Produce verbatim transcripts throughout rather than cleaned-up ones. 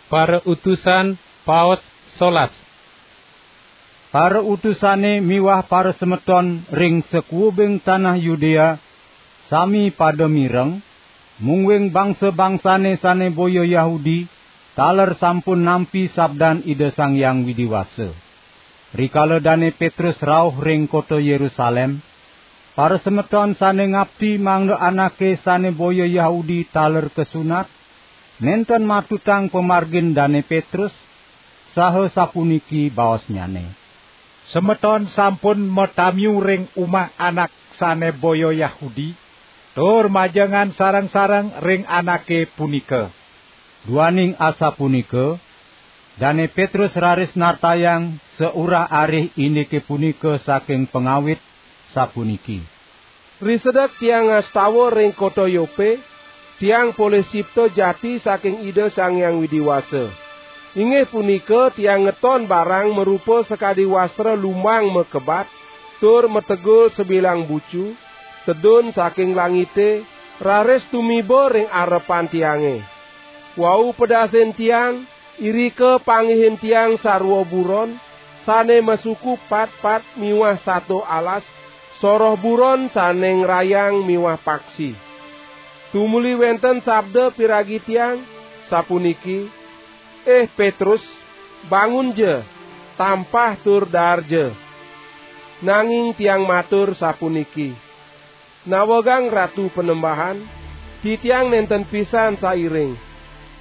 Para utusan, paos solas. Para utusane miwah para semeton ring sakuubing tanah Yudea sami pada mireng, mungguing bangsa-bangsane sane boya Yahudi taler sampun nampi sabdan Ida Sang Hyang Widi Wasa. Rikala Dane Petrus rauh ring kota Yerusalem, para semeton sane ngapti mangda anake sane boya Yahudi taler kasunat, nenten matutang pamargin Dane Petrus, saha sapuniki baosnyane: "Semeton sampun matamiu ring umah anak sane boya Yahudi, tur majengan sareng-sareng ring anake punika." Duaning asapunika, Dane Petrus raris nartayang saurah-arih indike punika saking pangawit, sapuniki: "Risedek tiang ngastawa ring kota Yope, tiang polih sipta jati saking Ida Sang Hyang Widi Wasa. Inggih punika tiang ngeton barang marupa sakadi wastra lumbang makebat, tur mategul sabilang bucu, tedun saking langite, raris tumiba ring arepan tiange. Wau pedasin tiang, irika panggihin tiang sarwa buron, sane masuku patpat miwah sato alas, soroh buron sane ngrayang miwah paksi. Tumuli wenten sabda piragi tiang, sapuniki: 'Ih Petrus, bangunja, tampah tur daarja.' Nanging tiang matur sapuniki: 'Nawegang Ratu Panembahan, titiang nenten pisan sairing.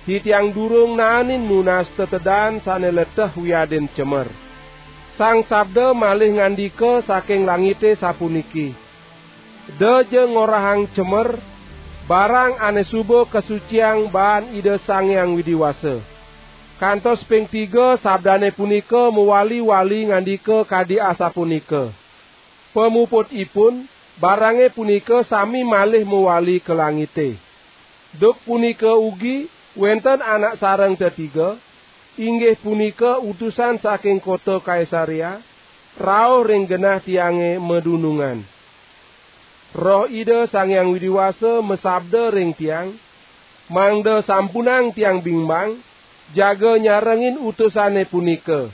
Titiang durung naanin nunas tetedan sane leteh wiadin cemer.' Sang Sabda malih ngandika saking langite sapuniki: 'Edaja ngorahang cemer, barang ane suba kasuciang baan Ida Sang Hyang Widi Wasa.' Kantos ping tiga sabdane punika mawali-wali ngandika kadi asapunika. Pamuputipun, barange punika sami malih mawali ka langite. Duk punika ugi wenten anak sareng tetiga, inggih punika utusan saking kota Kaisarea, rauh ring genah tiange madunungan. Roh Ida Sang Hyang Widi Wasa masabda ring tiang, mangda sampunang tiang bimbang, jaga nyarengin utusane punika.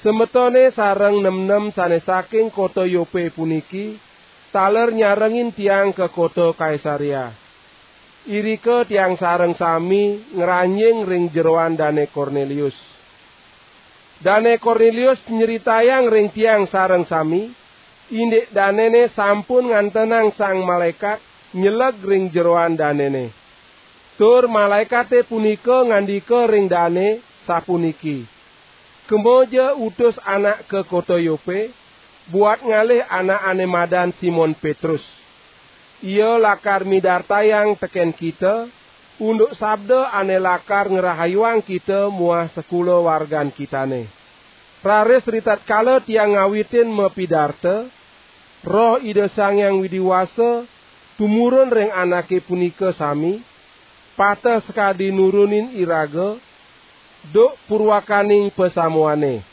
Semetone sareng nemnem sane saking kota Yope puniki taler nyarengin tiang ka kota Kaisarea. Irika tiang sareng sami ngranjing ring jeroan Dane Kornelius. Dane Kornelius nyritayang ring tiang sareng sami, indik danene sampun ngantenang sang malaekat nyeleg ring jeroan danene. Tur malaekate punika ngandika ring dane, sapuniki: 'Kemaja utus anak ka kota Yope, buat ngalih anak ane madan Simon Petrus. Ia lakar midartayang teken kita, unduk sabda ane lakar ngrahayuang kita muah sakulawargan kitane.' Raris ritatkala tiang ngawitin mapidarta, Roh Ida Sang Hyang Widi Wasa tumurun ring anake punika sami, pateh sakadi nurunin iraga, duk purwakaning pasamuane.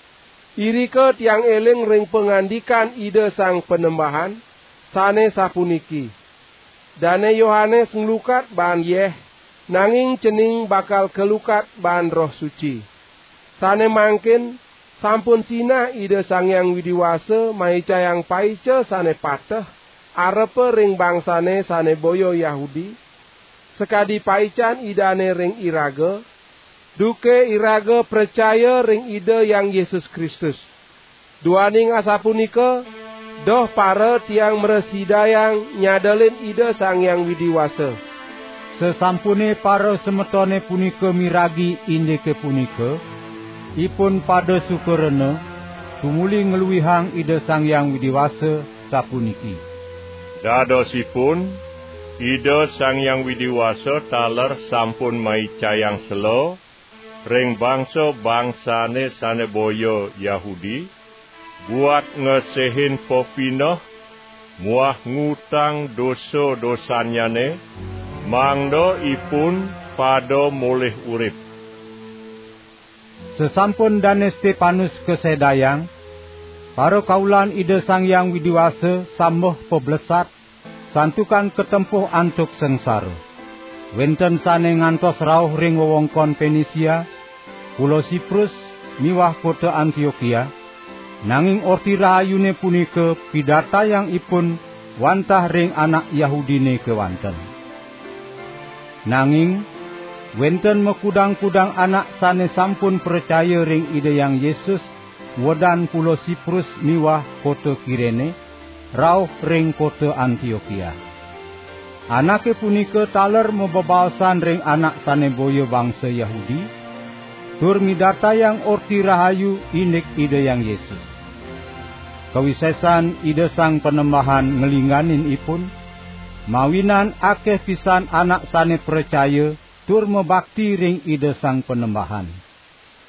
Irika tiang eling ring pangandikan Ida Sang Panembahan, sane sapuniki: 'Dane Yohanes nglukat baan yeh, nanging cening bakal kalukat baan Roh Suci.' Sane mangkin, sampun sinah Ida Sang Hyang Widi Wasa maicayang paica sane pateh arepa ring bangsane sane boya Yahudi, sakadi paican Idane ring iraga, duke iraga pracaya ring Ida Hyang Yesus Kristus. Duaning asapunika, doh para tiang mrasidayang nyadelin Ida Sang Hyang Widi Wasa." Sasampune para semetone punika miragi indike punika, ipun pada suka rena, tumuli ngluihang Ida Sang Hyang Widi Wasa, sapuniki: "Dadosipun, Ida Sang Hyang Widi Wasa taler sampun maicayang sela ring bangsa-bangsane sane boya Yahudi, buat ngesehin pepineh muah ngutang dosa-dosannyane, mangda ipun pada molih urip." Sasampun Dane Stepanus kasedayang, para kaulan Ida Sang Hyang Widi Wasa sambeh pablesat, santukan katempuh antuk sangsara. Wenten sane ngantos rauh ring wewengkon Penisia, pulo Siprus miwah kota Antiokia, nanging Orti Rahayune punika pidartayang ipun wantah ring anak Yahudine kewanten. Nanging wenten makudang-kudang anak sane sampun pracaya ring Ida Hyang Yesus, wedan pulo Siprus miwah kota Kirene, rauh ring kota Antiokia. Anake punika taler mabebaosan ring anak sane boya bangsa Yahudi, tur midartayang Orti Rahayu indik Ida Hyang Yesus. Kawisesan Ida Sang Panembahan nglingganin ipun, mawinan akeh pisan anak sane pracaya tur mabakti ring Ida Sang Panembahan.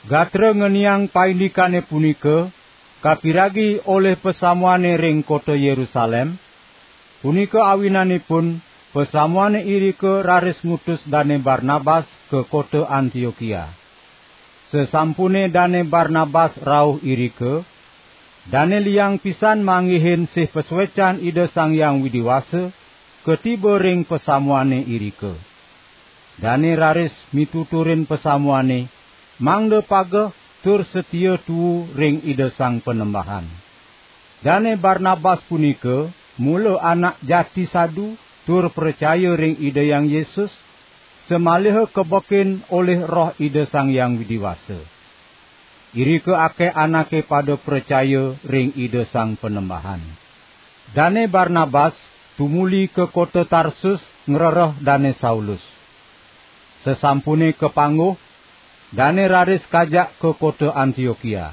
Gatra ngeniang paindikane punika kapiragi olih pasamuane ring kota Yerusalem, punika awinanipun pasamuane irika raris ngutus Dane Barnabas ka kota Antiokia. Sasampune Dane Barnabas rauh irika, dane liang pisan manggihin sih pasuecan Ida Sang Hyang Widi Wasa katiba ring pasamuane irika. Dane raris mituturin pasamuane, mangda pageh tur satia tuu ring Ida Sang Panembahan. Dane Barnabas punika mula anak jati sadu tur pracaya ring Ida Hyang Yesus, samaliha kabekin olih Roh Ida Sang Hyang Widi Wasa. Irika akeh anake pada pracaya ring Ida Sang Panembahan. Dane Barnabas tumuli ka kota Tarsus ngrereh Dane Saulus. Sasampune kapangguh, dane raris kajak ka kota Antiokia.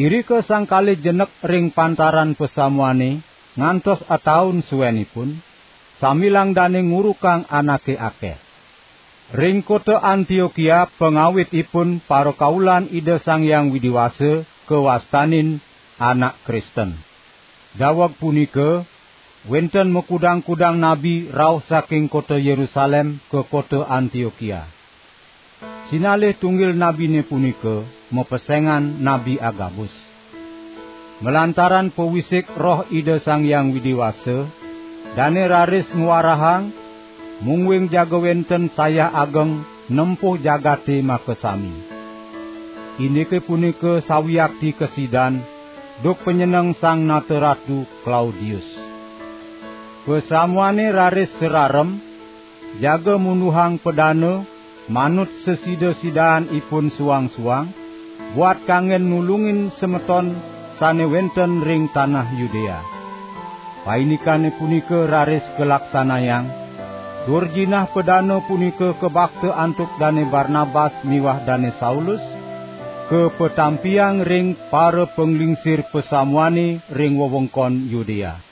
Irika sang kalih jenek ring pantaran pasamuane ngantos ataun suenipun, sambilang dane ngurukang anake akeh. Ring kota Antiokia pangawitipun parakaulan Ida Sang Hyang Widi Wasa kawastanin anak Kristen. Daweg punika, wenten makudang-kudang nabi rauh saking kota Yerusalem ka kota Antiokia. Sinalih tunggil nabine punika mapesengan Nabi Agabus. Malantaran pawisik Roh Ida Sang Hyang Widi Wasa, dane raris ngwarahang, mungguing jaga wenten sayah ageng nempuh jagate makasami. Indike punika sawiakti kasidan, duk panyeneng Sang Nata Ratu Klaudius. Pasamuane raris sararem, jaga munduhang padana, manut sasida-sidaan ipun suang-suang, buat kanggen nulungin semeton sane wenten ring tanah Yudea. Paindikane punika raris kalaksanayang, tur jinah padana punika kabakta antuk Dane Barnabas miwah Dane Saulus, kapatampiang ring para panglingsir pasamuane ring wewengkon Yudea.